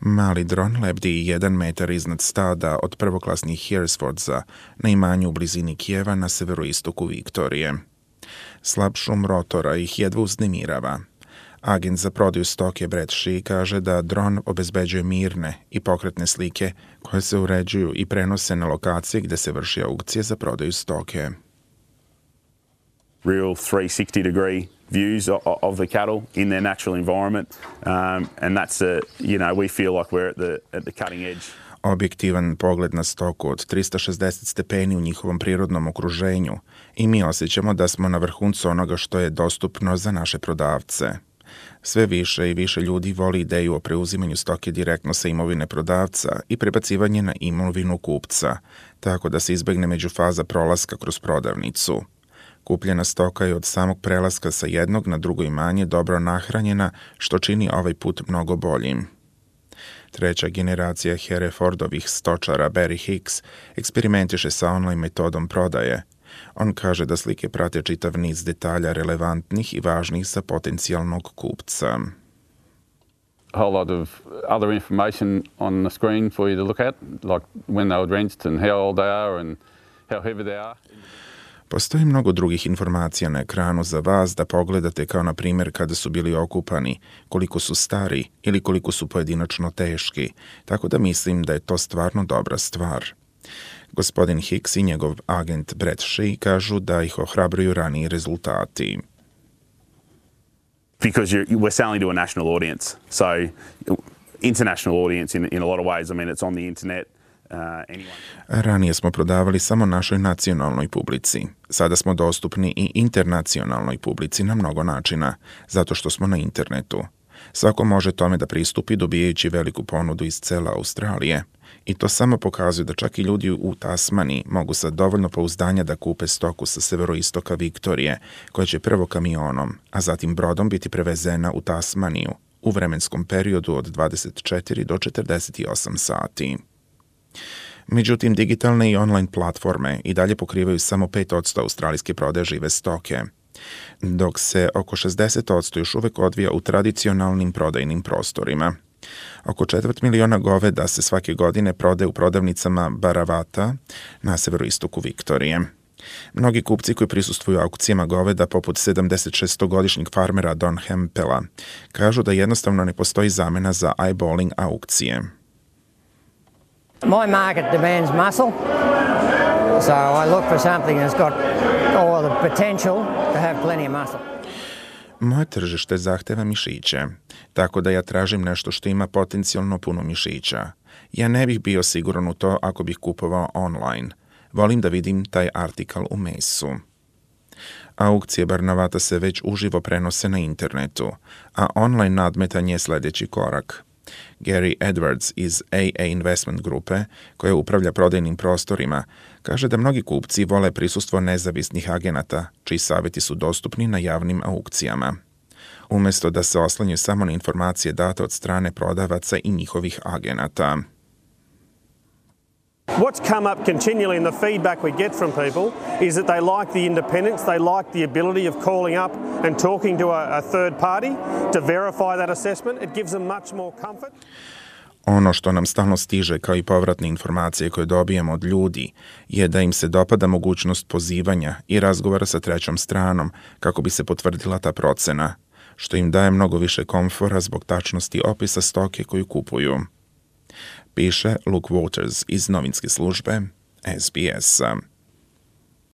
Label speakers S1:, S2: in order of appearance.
S1: Mali dron lebdi 1 metar iznad stada od prvoklasnih Herefordsa na imanju u blizini Kijeva na severoistoku Viktorije. Slab šum rotora ih jedva uznemirava. Agent za prodaju stoke Brett Shee kaže da dron obezbeđuje mirne i pokretne slike koje se uređuju i prenose na lokacije gde se vrši aukcije za prodaju stoke.
S2: Real 360-degree views of the cattle in their natural environment, and that's we feel like we're at the cutting edge.
S1: Objektivan pogled na stoku od 360 stepeni u njihovom prirodnom okruženju i mi osjećamo da smo na vrhuncu onoga što je dostupno za naše prodavce. Sve više i više ljudi voli ideju o preuzimanju stoke direktno sa imovine prodavca i prebacivanje na imovinu kupca, tako da se izbegne međufaza prolaska kroz prodavnicu. Kupljena stoka je od samog prelaska sa jednog na drugo imanje dobro nahranjena, što čini ovaj put mnogo boljim. Treća generacija Herefordovih stočara Barry Hicks eksperimentiše sa online metodom prodaje. On kaže da slike prate čitav niz detalja relevantnih i važnih za potencijalnog kupca.
S3: A whole lot of other information on the screen for you to look at, like when they were drenched and how old they are and how heavy they are.
S1: Postoji mnogo drugih informacija na ekranu za vas da pogledate, kao na primjer kada su bili okupani, koliko su stari ili koliko su pojedinačno teški, tako da mislim da je to stvarno dobra stvar. Gospodin Hicks i njegov agent Brett Shee kažu da ih ohrabruju raniji rezultati.
S2: Because we're selling to a national audience, so international audience in a lot of ways. I mean, it's on the internet.
S1: Ranije smo prodavali samo našoj nacionalnoj publici. Sada smo dostupni i internacionalnoj publici na mnogo načina, zato što smo na internetu. Svako može tome da pristupi dobijajući veliku ponudu iz cele Australije. I to samo pokazuje da čak i ljudi u Tasmaniji mogu sa dovoljno pouzdanja da kupe stoku sa severoistoka Viktorije, koja će prvo kamionom, a zatim brodom biti prevezena u Tasmaniju u vremenskom periodu od 24 do 48 sati. Međutim, digitalne i online platforme i dalje pokrivaju samo 5% australijske prodaje žive stoke, dok se oko 60% još uvek odvija u tradicionalnim prodajnim prostorima. Oko 250.000 goveda se svake godine prodaje u prodavnicama Baravata na severoistoku Viktorije. Mnogi kupci koji prisustvuju aukcijama goveda, poput 76-godišnjeg farmera Don Hempela, kažu da jednostavno ne postoji zamena za eyeballing aukcije.
S4: My market demands muscle, so I look for something that's got all the potential to have plenty of muscle.
S1: Moje tržište zahteva mišiće, tako da ja tražim nešto što ima potencijalno puno mišića. Ja ne bih bio siguran u to ako bih kupovao online. Volim da vidim taj artikal u mesu. Aukcije Baravata se već uživo prenose na internetu, a online nadmetanje je sljedeći korak. Gary Edwards iz AA Investment grupe, koja upravlja prodajnim prostorima, kaže da mnogi kupci vole prisustvo nezavisnih agenata, čiji savjeti su dostupni na javnim aukcijama, umjesto da se oslanjaju samo na informacije date od strane prodavaca i njihovih agenata.
S5: What's come up continually in the feedback we get from people is that they like the independence, they like the ability of calling up and talking to a third party to verify that assessment. It gives them much more comfort.
S1: Ono što nam stalno stiže kao i povratne informacije koje dobijemo od ljudi je da im se dopada mogućnost pozivanja i razgovora sa trećom stranom kako bi se potvrdila ta procena, što im daje mnogo više komfora zbog tačnosti opisa stoke koju kupuju. Piše Luke Waters iz novinske službe SBS-a.